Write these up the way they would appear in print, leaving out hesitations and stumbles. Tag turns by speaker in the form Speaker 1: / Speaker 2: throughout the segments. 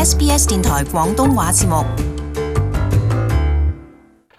Speaker 1: SBS 電台廣東話節目。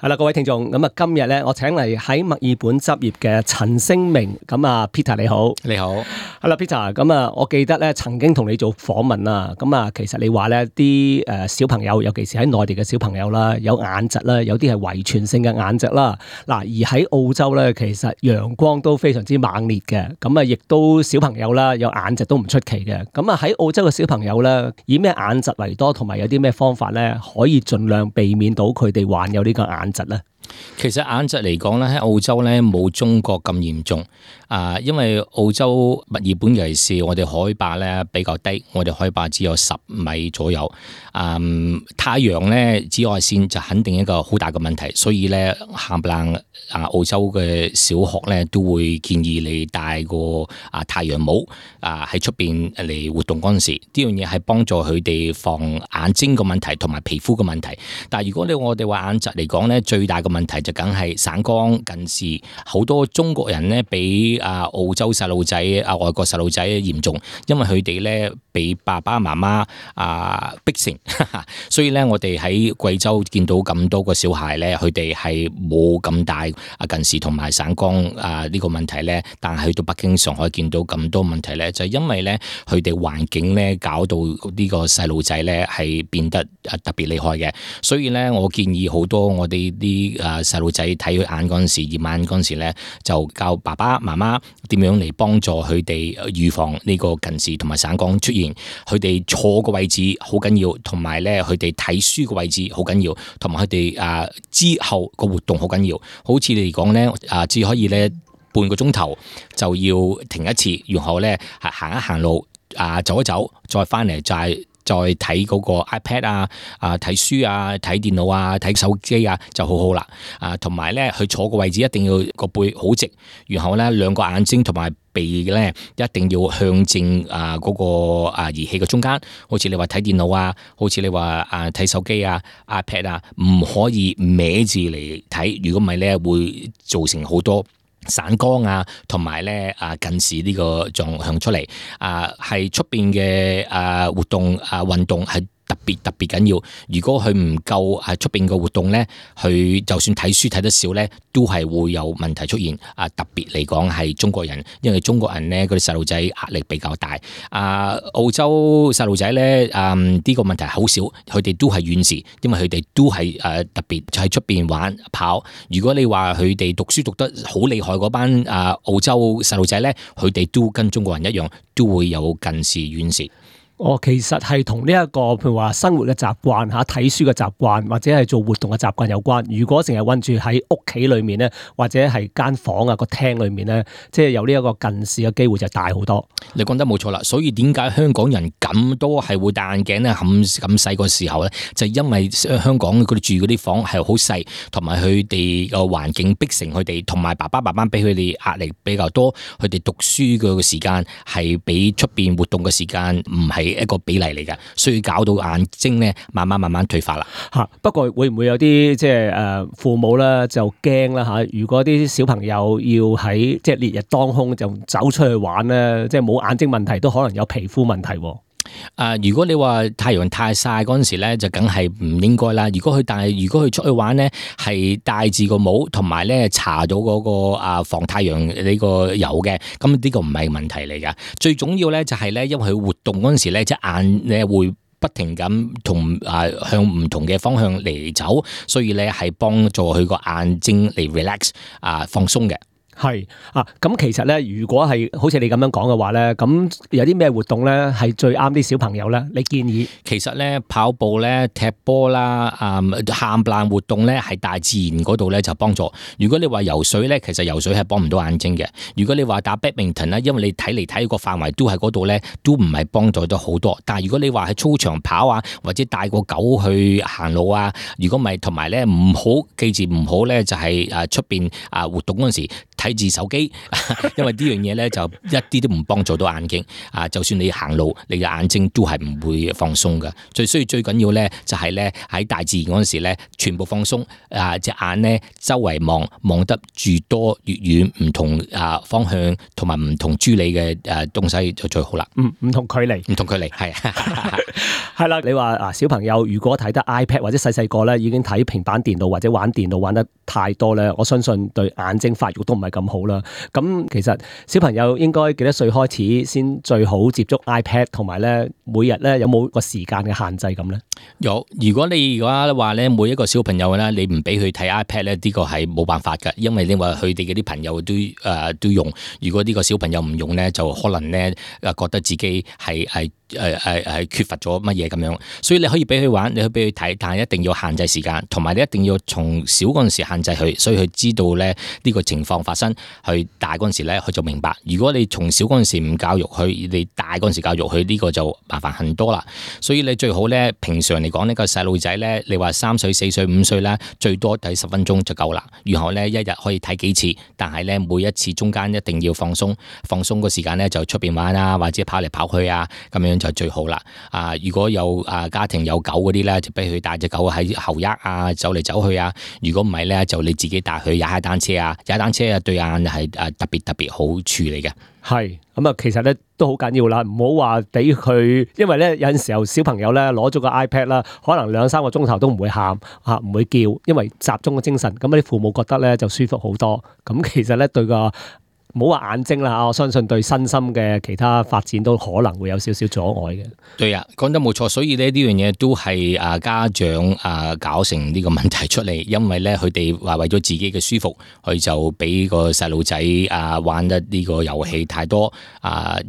Speaker 2: 係啦，各位聽眾，咁啊，今日咧，我請嚟喺墨爾本執業嘅陳星明，咁啊 ，Peter 你好，
Speaker 3: 你好，
Speaker 2: 係啦 ，Peter，咁啊，我記得咧曾經同你做訪問啦，咁啊，其實你話咧啲小朋友，尤其是喺內地嘅小朋友啦，有眼疾啦，有啲係遺傳性嘅眼疾啦，嗱，而喺澳洲咧，其實陽光都非常之猛烈嘅，咁啊，亦都小朋友啦有眼疾都唔出奇嘅，咁啊喺澳洲嘅小朋友咧，以咩眼疾為多，同埋有啲咩方法咧，可以盡量避免到佢哋患有呢個眼疾咧？
Speaker 3: 其實眼疾嚟講咧，喺澳洲咧冇中國咁嚴重因為澳洲墨爾本尤其是我哋海拔咧比較低，我哋海拔只有10米左右，太陽咧紫外線就肯定一個好大嘅問題，所以咧冚唪唥澳洲嘅小學咧都會建議你戴個太陽帽喺出邊嚟活動嗰陣時，呢樣嘢係幫助佢哋防眼睛嘅問題同埋皮膚嘅問題。但係如果我哋話眼疾嚟講咧，最大嘅問題就梗係散光近視，好多中國人咧比澳洲細路仔外國細路仔嚴重，因為佢哋咧俾爸爸媽媽逼成，所以咧我哋喺貴州見到咁多個小孩咧，佢哋係冇咁大近視同埋散光呢個問題咧，但係去到北京、上海見到咁多問題咧，就係因為咧佢哋環境咧搞到呢個細路仔咧係變得特別厲害嘅，所以咧我建議好多我哋啲細路仔睇佢眼嗰陣時，驗眼嗰陣時咧，就教爸爸媽媽點樣嚟幫助佢哋預防呢個近視同埋散光出現。佢哋坐個位置好緊要，同埋咧佢哋睇書個位置好緊要，同埋佢哋之後個活動好緊要。好似你嚟講咧，只可以咧半個鐘頭就要停一次，然後咧行一行路，走一走，再翻嚟再睇嗰個 iPad 睇書睇電腦睇手機就好好啦。同埋咧，佢坐個位置一定要個背好直，然後咧兩個眼睛同埋鼻咧一定要向正嗰個儀器嘅中間。好似你話睇電腦好似你話睇手機iPad 唔可以歪字嚟睇，如果唔係咧會造成好多散光同埋咧近視呢個狀向出嚟。係出邊嘅活動運動係特別緊要。如果佢唔夠出邊嘅活動咧，佢就算睇書睇得少咧，都係會有問題出現。特別嚟講係中國人，因為中國人咧嗰啲細路仔壓力比較大。澳洲細路仔咧呢個問題好少，佢哋都係遠視，因為佢哋都係特別喺出邊玩跑。如果你話佢哋讀書讀得好厲害嗰班澳洲細路仔咧，佢哋都跟中國人一樣，都會有近視遠視。
Speaker 2: 其實係同呢一個譬如話生活嘅習慣睇書嘅習慣或者係做活動嘅習慣有關。如果成日韞住喺屋企裏面咧，或者係間房個廳裏面咧，即係有呢一個近視嘅機會就大好多。
Speaker 3: 你講得冇錯啦，所以點解香港人咁多係會戴眼鏡咧？咁細個時候咧，就因為香港佢哋住嗰啲房係好細，同埋佢哋個環境逼成佢哋，同埋爸爸媽媽俾佢哋壓力比較多，佢哋讀書嘅時間係比出邊活動嘅時間唔係一個比例嚟㗎，所以搞到眼睛咧慢慢退化啦。
Speaker 2: 不過會唔會有啲即係父母咧就驚啦嚇？如果啲小朋友要喺即係烈日當空就走出去玩咧，即係冇眼睛問題都可能有皮膚問題。
Speaker 3: 如果你話太陽太曬嗰陣時咧，就梗係唔應該啦。如果佢出去玩咧，係戴住個帽，同埋咧搽咗嗰個防太陽呢個油嘅，咁呢個唔係問題嚟噶。最重要咧就係咧，因為佢活動嗰陣時咧，隻眼咧會不停咁向唔同嘅方向嚟走，所以咧係幫助佢個眼睛嚟 relax 放鬆嘅。
Speaker 2: 係咁其實咧，如果係好似你咁樣講嘅話咧，咁有啲咩活動咧係最啱啲小朋友咧？你建議？
Speaker 3: 其實咧跑步咧、踢波啦、冚唪唥活動咧係大自然嗰度咧就幫助。如果你話游水咧，其實游水係幫唔到眼睛嘅。如果你話打 badminton 咧，因為你睇嚟睇個範圍都喺嗰度咧，都唔係幫助到好多。但係如果你話喺操場跑或者帶個狗去行路如果唔係，同埋咧唔好記住唔好咧就係出邊活動嗰陣時睇住手機，因為呢樣嘢咧就一啲都唔幫助到眼睛啊！就算你行路，你嘅眼睛都係唔會放鬆嘅。最緊要咧就係咧喺大自然嗰陣時咧，全部放鬆啊！隻眼咧周圍望得越多越遠，唔同方向同埋唔同諸理嘅東西就最好啦。
Speaker 2: 唔同距離係係啦。你話小朋友如果睇得 iPad 或者細個咧已經睇平板電腦或者玩電腦玩得太多咧，我相信對眼睛發育都唔係咁好啦。咁其實小朋友應該幾多歲開始先最好接觸 iPad， 同埋咧每日咧有冇個時間嘅限制咁咧？
Speaker 3: 有，如果你而家話咧每一個小朋友咧，你唔俾佢睇 iPad 咧，呢個係冇辦法㗎，因為你話佢哋嗰啲朋友都用，如果呢個小朋友唔用咧，就可能咧覺得自己係缺乏咗乜嘢咁樣，所以你可以俾佢玩，你可以俾佢睇，但係一定要限制時間，同埋你一定要從小嗰陣時限制佢，所以佢知道咧呢個情況發生，佢大嗰陣時咧佢就明白。如果你從小嗰陣時唔教育佢，你大嗰陣時教育佢，呢個就麻煩很多啦。所以你最好咧平常嚟講呢個細路仔咧，你話3歲、4歲、5歲咧，最多睇10分鐘就夠啦。然後咧一日可以睇幾次，但係咧每一次中間一定要放鬆個時間咧，就出邊玩啊，或者跑嚟跑去啊，咁樣就最好啦。如果有家庭有狗嗰啲咧，就俾佢帶隻狗喺後翼啊，走嚟走去啊。如果唔係咧，就你自己帶佢踩單車啊，踩單車啊對眼係特別好處嚟嘅。
Speaker 2: 係咁啊，其實咧都好緊要啦，唔好話俾佢，因為咧有陣時候小朋友咧攞咗個 iPad 啦，可能2-3個鐘頭都唔會喊唔會叫，因為集中個精神，咁啲父母覺得咧就舒服好多。咁其實咧對個唔好話眼睛啦，我相信對身心嘅其他發展都可能會有少少阻礙嘅。
Speaker 3: 對啊，講得冇錯，所以呢樣嘢都係家長搞成呢個問題出嚟，因為咧佢哋話為咗自己嘅舒服，佢就俾個細路仔玩得呢個遊戲太多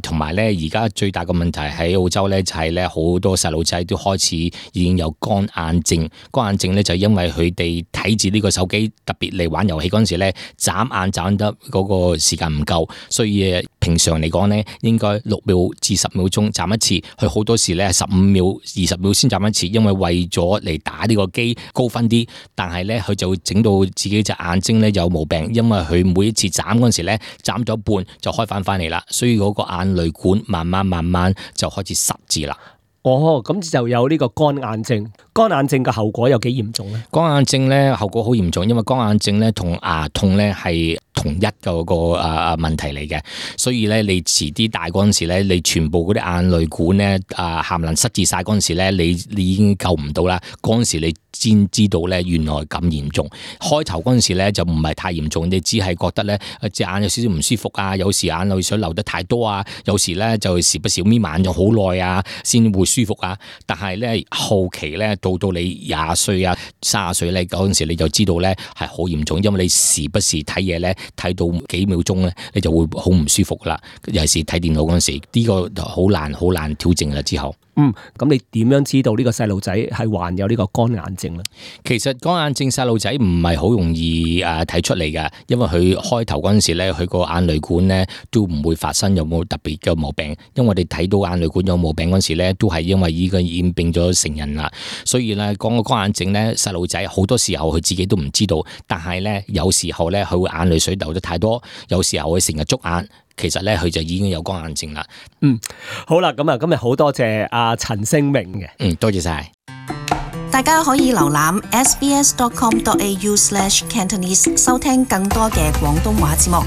Speaker 3: 同埋咧而家最大嘅問題喺澳洲咧就係咧好多細路仔都開始已經有乾眼症。乾眼症咧就因為佢哋睇住呢個手機，特別嚟玩遊戲嗰陣時咧眨眼眨得嗰個時間唔夠，所以平常嚟講咧，應該6秒至10秒鐘眨一次，佢好多時咧15秒、20秒先眨一次，因為為咗嚟打呢個機高分啲，但係咧佢就會整到自己隻眼睛咧有毛病，因為佢每一次眨嗰陣時咧眨咗一半就開翻嚟啦，所以嗰個眼淚管慢慢就開始塞住啦。
Speaker 2: 咁就有呢個乾眼症。乾眼症嘅後果有幾嚴重咧？
Speaker 3: 乾眼症咧後果好嚴重，因為乾眼症咧同牙痛咧係同一個問題嚟嘅，所以咧你遲啲大嗰陣時咧，你全部嗰啲眼淚管咧含能塞住晒嗰陣時咧，你已經救唔到啦。嗰陣時你先知道咧原來咁嚴重。開頭嗰陣時咧就唔係太嚴重，你只係覺得咧隻眼有少少唔舒服啊，有時眼淚水流得太多啊，有時咧就時不時眯埋眼咗好耐啊，先會舒服啊。但係咧後期咧到你20歲啊、30歲咧嗰陣時，你就知道咧係好嚴重，因為你時不時睇嘢咧睇到幾秒鐘咧，你就會好唔舒服啦。尤其是睇電腦嗰陣時，呢個好難調整啦。之後
Speaker 2: 咁你點樣知道呢個細路仔係患有呢個乾眼症咧？
Speaker 3: 其實乾眼症細路仔唔係好容易睇出嚟嘅，因為佢開頭嗰陣時咧，佢個眼淚管咧都唔會發生有冇特別嘅毛病。因為我哋睇到眼淚管有毛病嗰陣時咧，都係因為呢個染病咗成人啦。所以咧講個乾眼症咧，細路仔好多時候佢自己都唔知道，但係咧有時候咧佢會眼淚水流得太多，有時候佢成日捉眼。其實咧，佢就已經有乾眼症啦。
Speaker 2: 好啦，咁今日好多謝阿陳聲明嘅。
Speaker 3: 多謝晒。
Speaker 1: 大家可以瀏覽 sbs.com.au/cantonese 收聽更多嘅廣東話節目。